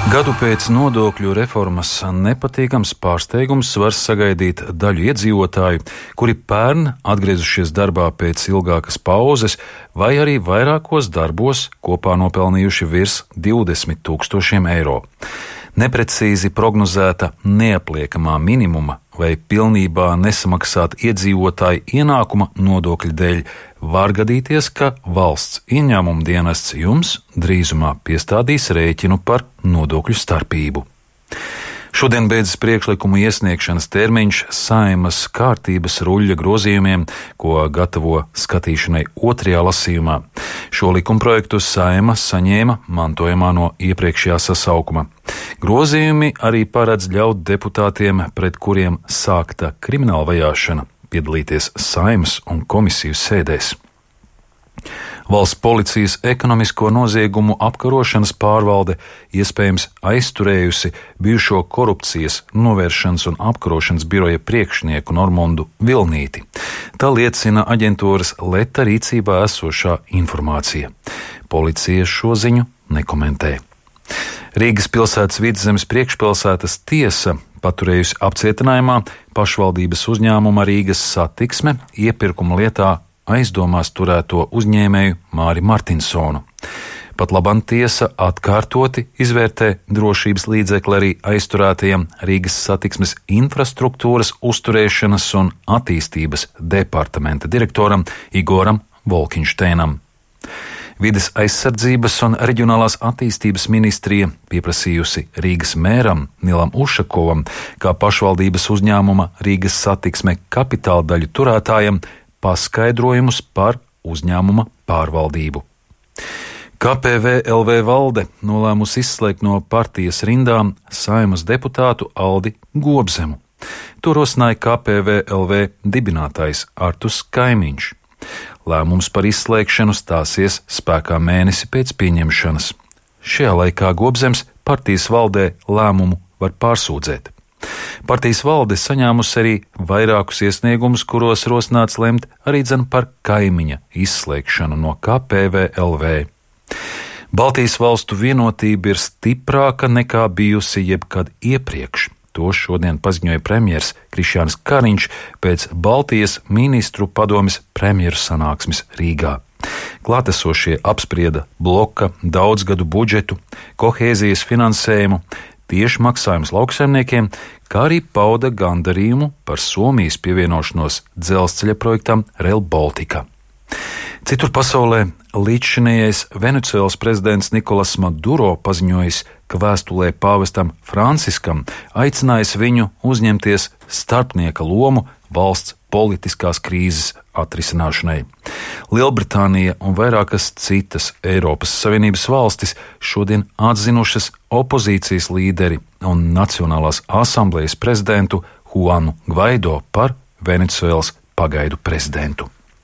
Gadu pēc nodokļu reformas nepatīkams pārsteigums var sagaidīt daļu iedzīvotāju, kuri pērn atgriezušies darbā pēc ilgākas pauzes, vai arī vairākos darbos kopā nopelnījuši virs 20 000 eiro. Neprecīzi prognozēta neapliekamā minimuma vai pilnībā nesamaksāt iedzīvotāju ienākuma nodokļu dēļ var gadīties, ka valsts ieņēmuma dienests jums drīzumā piestādīs rēķinu par nodokļu starpību. Šodien beidzas priekšlikumu iesniegšanas termiņš Saeimas kārtības ruļļa grozījumiem, ko gatavo skatīšanai otrajā lasījumā. Šo likumprojektu Saeima saņēma mantojumā no iepriekšējā sasaukuma. Grozījumi arī paredz ļaut deputātiem, pret kuriem sākta krimināla vajāšana, piedalīties Saeimas un komisiju sēdēs. Valsts policijas ekonomisko noziegumu apkarošanas pārvalde iespējams aizturējusi bijušo korupcijas novēršanas un apkarošanas biroja priekšnieku Normundu Vilnīti. Tā liecina aģentūras Leta rīcībā esošā informācija. Policija šo ziņu nekomentē. Rīgas pilsētas Vidzemes priekšpilsētas tiesa paturējusi apcietinājumā pašvaldības uzņēmuma Rīgas Satiksme iepirkuma lietā aizdomās turēto uzņēmēju Māri Martinsonu. Patlaban tiesa atkārtoti izvērtē drošības līdzekli arī aizturētajam Rīgas Satiksmes infrastruktūras uzturēšanas un attīstības departamenta direktoram Igoram Volkinšteinam. Vides aizsardzības un reģionālās attīstības ministrija pieprasījusi Rīgas mēram Nilam Ušakovam, kā pašvaldības uzņēmuma Rīgas Satiksme kapitāla daļu turētājam, paskaidrojumus par uzņēmuma pārvaldību. KPVLV valde nolēmusi izslēgt no partijas rindām Saeimas deputātu Aldi Gobzemu. To rosināja KPVLV dibinātājs Artus Kaimiņš. Lēmums par izslēgšanu stāsies spēkā mēnesi pēc pieņemšanas. Šajā laikā Gobzems partijas valdē lēmumu var pārsūdzēt. Partijas valde saņēmusi arī vairākus iesniegumus, kuros rosināts lemt arī par Kaimiņa izslēgšanu no KPVLV. Baltijas valstu vienotība ir stiprāka nekā bijusi jebkad iepriekš. To šodien paziņoja premjers Krišjānis Kariņš pēc Baltijas ministru padomes premjeru sanāksmes Rīgā. Klātesošie apsprieda bloka daudzgadu budžetu, kohēzijas finansējumu, tieši maksājums lauksaimniekiem, kā arī pauda gandarījumu par Somijas pievienošanos dzelzceļa projektam Rail Baltica. Citur pasaulē līdzšinējais Venecuēlas prezidents Nikolas Maduro paziņojis, ka vēstulē pāvestam Franciskam aicinājis viņu uzņemties starpnieka lomu valsts politiskās krīzes atrisināšanai. Lielbritānija un vairākas citas Eiropas Savienības valstis šodien atzinušas opozīcijas līderi un Nacionālās asamblejas prezidentu Juanu Gvaido par Venecuēlas pagaidu prezidentu.